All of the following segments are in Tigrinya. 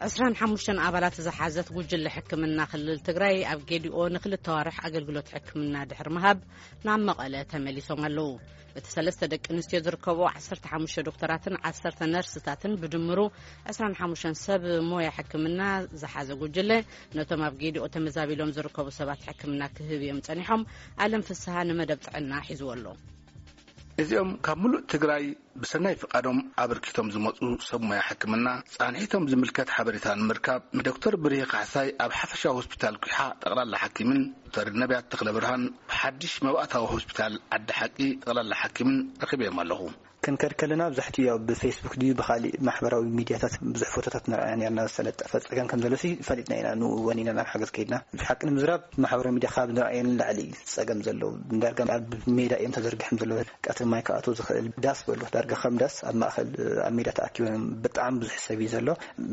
ዕስራን ሓሙሽተን ኣባላት ዝሓዘት ጉጅለ ሕክምና ክልል ትግራይ ኣብ ጌዲኦ ንክልተ ኣዋርሕ ኣገልግሎት ሕክምና ድሕሪ ምሃብ ናብ መቐለ ተመሊሶም ኣለዉ። እቲ ሰለስተ ደቂ ኣንስትዮ ዝርከብኦ ዓሰርተ ሓሙሽተ ዶክተራትን ዓሰርተ ነርስታትን ብድምሩ ዕስራን ሓሙሽተን ሰብ ሞያ ሕክምና ዝሓዘ ጉጅለ ነቶም ኣብ ጌዲኦ ተመዛቢሎም ዝርከቡ ሰባት ሕክምና ክህብ እዮም ጸኒሖም። ኣለም ፍስሃ ንመደብ ጥዕና ሒዝዎ ኣሎ። እዚኦም ካብ ምሉእ ትግራይ ብሰናይ ፍቓዶም ኣበርኪቶም ዝመፁ ሰብ ሞያ ሕክምና ፃንሒቶም ዝምልከት ሓበሬታ ንምርካብ ንዶክተር ብርሂ ካሕሳይ ኣብ ሓፈሻዊ ሆስፒታል ኲሓ ጠቕላላ ሓኪምን ዶክተር ነቢያት ተኽለ ብርሃን ብሓድሽ መባእታዊ ሆስፒታል ዓዲ ሓቂ ጠቕላላ ሓኪምን ረኺበዮም ኣለኹ። ክንከድ ከለና ብዛሕትኡ ያው ብፌስቡክ ድዩ ብካሊእ ማሕበራዊ ሚድያታት ብዙሕ ፎቶታት ንርኣያ ነርና። ዝተለጠፈ ፀገም ከም ዘሎ ሲ ፈሊጥና ኢና። ንኡ ወኒና ናብ ሓገዝ ከይድና። ሓቂ ንምዝራብ ማሕበራዊ ሚድያ ካብ ንርኣየን ንላዕሊ እዩ ፀገም ዘለዎ። ዳርጋ ኣብ ሜዳ እዮም ተዘርጊሖም ዘለዉ። ቀትሪ ማይ ክኣትዎ ዝኽእል ዳስ በሉ። ዳርጋ ከም ዳስ ኣብ ማእኸል ኣብ ሜዳ ተኣኪቦም ብጣዕሚ ብዙሕ ሰብ እዩ ዘሎ።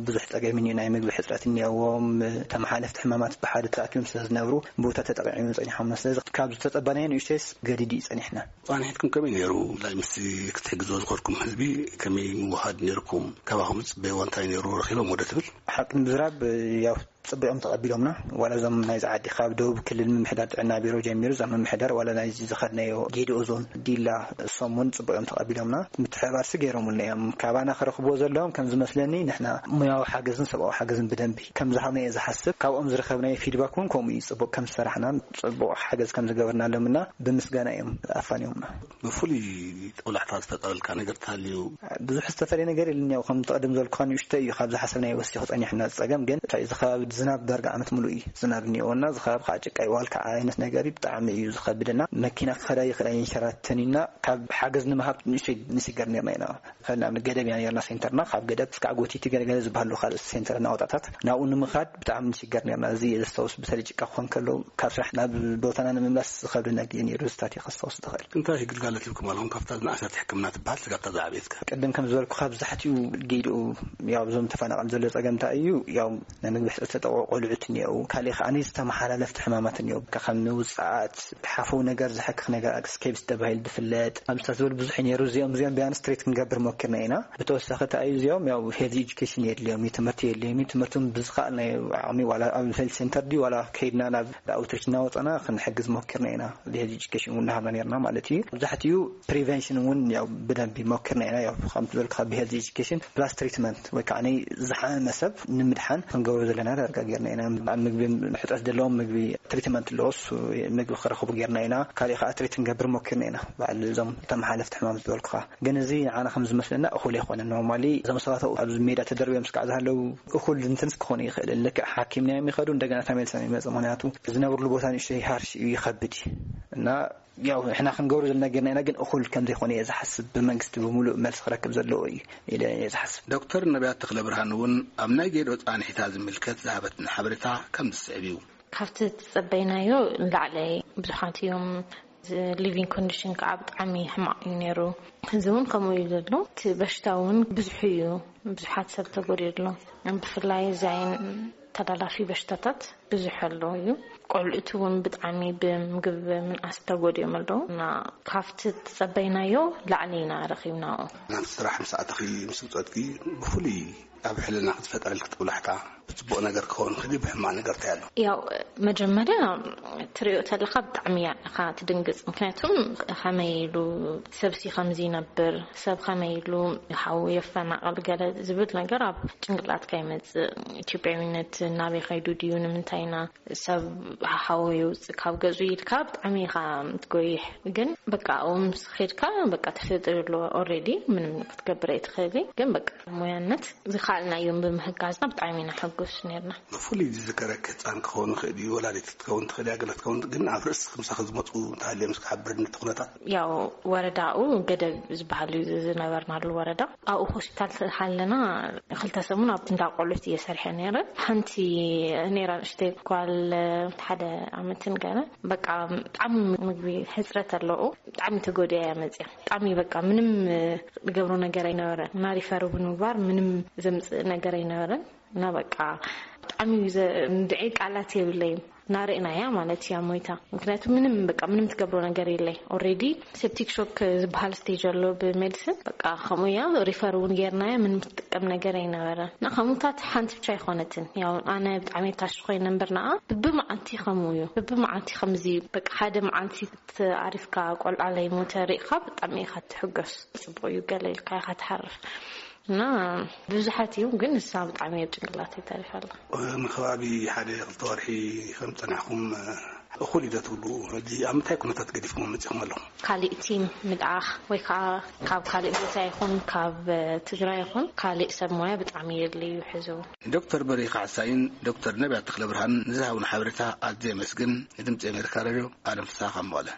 ብዙሕ ፀገም እዩ። ናይ ምግቢ ሕፅረት እኒኦዎም። ተመሓለፍቲ ሕማማት ብሓደ ተኣኪቦም ስለ ዝነብሩ ቦታ ተጠቂዖም እዮም ፀኒሖም። ስለዚ ካብ ዝተፀበናዮ ንእሽተይስ ገዲድ እዩ ፀኒሕና። ፃንሒትኩም ከመይ ነይሩ? ላይ ምስ ክትሕግዝዎ ዝኸድኩም ህዝቢ ከመይ ምውሃድ ነይርኩም? ካባኹም ዝፅበይዎ እንታይ ነይሩ? ረኺቦም ወደ ትብል ሓቂ ንምዝራብ ያው ፅቡቅ እዮም ተቐቢሎምና። ዋላ እዞም ናይዚ ዓዲ ካብ ደቡብ ክልል ምምሕዳር ጥዕና ቢሮ ጀሚሩ እዛ ምምሕዳር ዋላ ናይዚ ዝኸድናዮ ጌዲኦ ዞን ዲላ እሶም እውን ፅቡቅ እዮም ተቐቢሎምና። ምትሕብባር ሲ ገይሮምልና እዮም። ካባና ክረኽብዎ ዘለዎም ከም ዝመስለኒ ንሕና ሙያዊ ሓገዝን ሰብኣዊ ሓገዝን ብደንቢ ከም ዝሃብና እየ ዝሓስብ። ካብኦም ዝረኸብናዮ ፊድባክ እውን ከምኡ እዩ። ፅቡቅ ከም ዝሰራሕናን ፅቡቅ ሓገዝ ከም ዝገበርናሎምና ብምስጋና እዮም ኣፋንዮምና። ብፍሉይ ጦብላሕታ ዝፈጠረልካ ነገር ተሃልዩ? ብዙሕ ዝተፈለየ ነገር የለን። ያው ከም ተቐደም ዘልኩኻ ንእሽቶ እዩ ካብ ዝሓሰብናዮ ወሲኹ ጸኒሕና ዝጸገም ግን እንታይ እዚ ከባቢ ዝናብ ዳርጋ ዓመት ሙሉእ እዩ ዝናብ እኒኦና። እዚ ከባቢ ከዓ ጭቃ ይዋል ከዓ ዓይነት ነገር እዩ ብጣዕሚ እዩ ዝኸብደና። መኪና ክኸዳ ይኽእል ኣይንሸራተን ኢና። ካብ ሓገዝ ንምሃብ ንእሽተይ ንስገር ነርና ኢና። ንኣብነት ገደብ ኢና ነርና ሴንተርና ካብ ገደብ እስካዕ ጎቲቲ ገለገለ ዝበሃሉ ካልእ ሴንተር እናወጣታት ናብኡ ንምኻድ ብጣዕሚ ንስገር ነርና። እዚ እየ ዘስታውስ ብተለይ ጭቃ ክኾን ከሎ ካብ ስራሕ ናብ ቦታና ንምምላስ ዝኸብደና ግዜ ነይሩ። ዝታት እየ ከስታውስ ዝኽእል። እንታይ ግልጋሎት ሂብኩም ኣለኹም ካብታ ዝነኣሰት ሕክምና ትበሃል ስጋብታ ዝዓበየትከ? ቅድም ከም ዝበልኩ ካብዛሕትኡ ጌድኡ ያው እዞም ተፈናቐል ዘሎ ፀገም እንታይ እዩ? ያው ናይ ምግቢ ሕፅረት ተጠቕዑ ቆልዑት እኒአው። ካሊእ ከዓ ዝተመሓላለፍቲ ሕማማት እኒአው። ከም ንውፅኣት ሓፈው ነገር ዝሕክኽ ነገር ኣክስኬብስ ተባሂሉ ዝፍለጥ ኣብዝታት ዝበሉ ብዙሕ ነይሩ። እዚኦም እዚኦም ቢያንስ ትሬት ክንገብር ሞኪርና ኢና። ብተወሳኺ እንታይ እዩ እዚኦም ያው ሄልዝ ኤጁኬሽን የድልዮም እዩ፣ ትምህርቲ የድልዮም እዩ። ትምህርቱም ብዝኸኣልናዮ ዓቕሚ ዋላ ኣብ ሄልዝ ሴንተር ድዩ ዋላ ከይድና ናብ ኣውትሪች እናወፀና ክንሕግዝ ሞኪርና ኢና። ሄልዝ ኤጁኬሽን እውን እናሃብና ነርና ማለት እዩ። መብዛሕትኡ ፕሪቨንሽን እውን ያው ብደንቢ ሞኪርና ኢና። ያው ከም ዝበልካ ብሄልዝ ኤጁኬሽን ፕላስ ትሪትመንት ወይ ከዓ ናይ ዝሓመመ ሰብ ንምድሓን ክንገብሮ ዘለና ዳርጋ ጌርና ኢና። ኣብ ምግቢ ሕፅረት ዘለዎም ምግቢ ትሪትመንት ኣለዎ። እሱ ምግቢ ክረኽቡ ጌርና ኢና። ካሊእ ከዓ ትሪት ክንገብር ሞኪርና ኢና። በዓል እዞም ተመሓለፍቲ ሕማም ዝበልኩኻ ግን እዚ ንዓና ከም ዝመስለና እኹል ኣይኮነን። ኖርማሊ እዞም ሰባት ኣብኡ ኣብዚ ሜዳ ተደርብዮም ስካዕ ዝሃለዉ እኹል እንትንስ ክኾኑ ይኽእል። ልክዕ ሓኪም ናዮም ይኸዱ እንደገና ተመልሶም ይመፁ። ምክንያቱ ዝነብርሉ ቦታ ንእሽተይ ሃርሽ እዩ፣ ይኸብድ እዩ እና ያው ንሕና ክንገብሮ ዘለና ጌርና ኢና፣ ግን እኹል ከም ዘይኮነ እየ ዝሓስብ። ብመንግስቲ ብምሉእ መልሲ ክረክብ ዘለዎ እዩ ኢለ እየ ዝሓስብ። ዶክተር ነቢያት ተኽለብርሃን እውን ኣብ ናይ ጌዶ ፃንሒታ ዝምልከት ዝሃበትና ሓበሬታ ከም ዝስዕብ እዩ። ካብቲ ዝጸበይናዮ ንላዕሊ ብዙሓት እዮም። ሊቪንግ ኮንዲሽን ከዓ ብጣዕሚ ሕማቕ እዩ ነይሩ። እዚ እውን ከምኡ እዩ ዘሎ። እቲ በሽታ እውን ብዙሕ እዩ፣ ብዙሓት ሰብ ተጎዲኡ ኣሎ። ብፍላይ እዚ ዓይን ተላላፊ በሽታታት ብዙሕ ኣሎ እዩ። ቆልዑት እውን ብጣዕሚ ብምግብ ምንኣስ ተጎዲኦም ኣለዉ እና ካብቲ ዝጸበይናዮ ላዕሊ ኢና ረኺብናኦ። ናብቲ ስራሕ ምስ ኣተኺ ምስ ውጸትኪ ብፍሉይ ኣብ ሕልና ክትፈጠረልኪ ጦብላሕታ ብጽቡቕ ነገር ክኸውን ክዲ ብሕማቕ ነገር እንታይ ኣሎ? ያው መጀመርያ ትሪኦ ተለኻ ብጣዕሚ እያ ኢኻ ትድንግጽ። ምክንያቱም ከመይ ኢሉ ሰብሲ ከምዚ ይነብር፣ ሰብ ከመይ ኢሉ ሓው የፈናቕል ገለ ዝብል ነገር ኣብ ጭንቅላትካ ይመጽእ። ኢትዮጵያዊነት ናበይ ከይዱ ድዩ፣ ንምንታይ ኢና ሰብ ሓወ የውፅእ ካብ ገፁ ኢልካ ብጣዕሚ ኢኻ ትጎይሕ። ግን በቃ ኣብኡ ምስ ኸድካ በቃ ተፈጥሮ ኣሎ። ኦልሬዲ ምንም ክትገብር ኣይትኽእሊ። ግን በቃ ሞያነት ዝኸኣልናዮም ብምሕጋዝና ብጣዕሚ ኢና ሕጉስ ነርና። ብፍሉይ ዝዝከረኪ ህፃን ክኸውን ይኽእል እዩ፣ ወላዲት ክትከውን ትኽእል እያ፣ ገለ ክትከውን። ግን ኣብ ርእስኺ ምሳኺ ዝመፁ እንተሃልዮም እስኪ ሓብርኒ እቲ ኩነታት። ያው ወረዳኡ ገደብ ዝበሃል እዩ ዝነበርናሉ ወረዳ። ኣብኡ ሆስፒታል ሃለና ክልተ ሰሙን ኣብ እንዳ ቆልዑት እየ ሰሪሐ ነይረ። ሓንቲ ነይራ ንእሽተይ ጓል ሓደ ዓመትን ገለ በቃ ብጣዕሚ ምግቢ ሕፅረት ኣለዎ። ብጣዕሚ ተጎዲኣ እያ መፅያ። ብጣዕሚ በቃ ምንም ዝገብሮ ነገር ኣይነበረን። እና ሪፈር እውን ምግባር ምንም ዘምፅእ ነገር ኣይነበረን። እና በቃ ብጣዕሚ እዩ ዘ- እንድዒ ቃላት የብለይም። ናርእናያ ማለት እያ ሞይታ። ምክንያቱ ምንም በቃ ምንም ትገብሮ ነገር የለይ። ኦሬዲ ሴፕቲክ ሾክ ዝበሃል ስቴጅ ኣሎ ብሜዲሲን። በቃ ከምኡ እያ፣ ሪፈር እውን ጌርናያ። ምንም ትጥቀም ነገር ኣይነበረ። እና ከምኡታት ሓንቲ ብቻ ኣይኮነትን። ያው ኣነ ብጣዕሚ ታሽ ኮይነ እምበር ንኣ ብብመዓልቲ ከምኡ እዩ። ብብመዓልቲ ከምዚ በቃ ሓደ መዓልቲ ኣሪፍካ ቆልዓ ለይሞተ ርኢኻ ብጣዕሚ ኢኻ ትሕገስ። ጽቡቅ እዩ ገለ ኢልካ ኢኻ ትሓርፍ። እና ብዙሓት እዮም፣ ግን ንሳ ብጣዕሚ ኣብ ጭንቅላተይ ተሪፋ ኣላ። ንከባቢ ሓደ ክልተ ወርሒ ከም ጸናሕኩም እኹል እዩ ዶ ትብሉ? ሕጂ ኣብ ምንታይ ኩነታት ገዲፍኩም መጺኹም ኣለኹም? ካሊእ ቲም ምልኣኽ ወይ ከዓ ካብ ካሊእ ቦታ ይኹን ካብ ትግራይ ይኹን ካሊእ ሰብ ሞያ ብጣዕሚ የድልዩ ሕዚ እውን። ዶክተር በሪኻ ሓሳይን ዶክተር ነቢያት ተኽለ ብርሃን ንዝሃቡና ሓበሬታ ኣዝየ የመስግን። ንድምፂ ኣሜሪካ ሬድዮ ኣለም ፍስሃ ካብ መቐለ።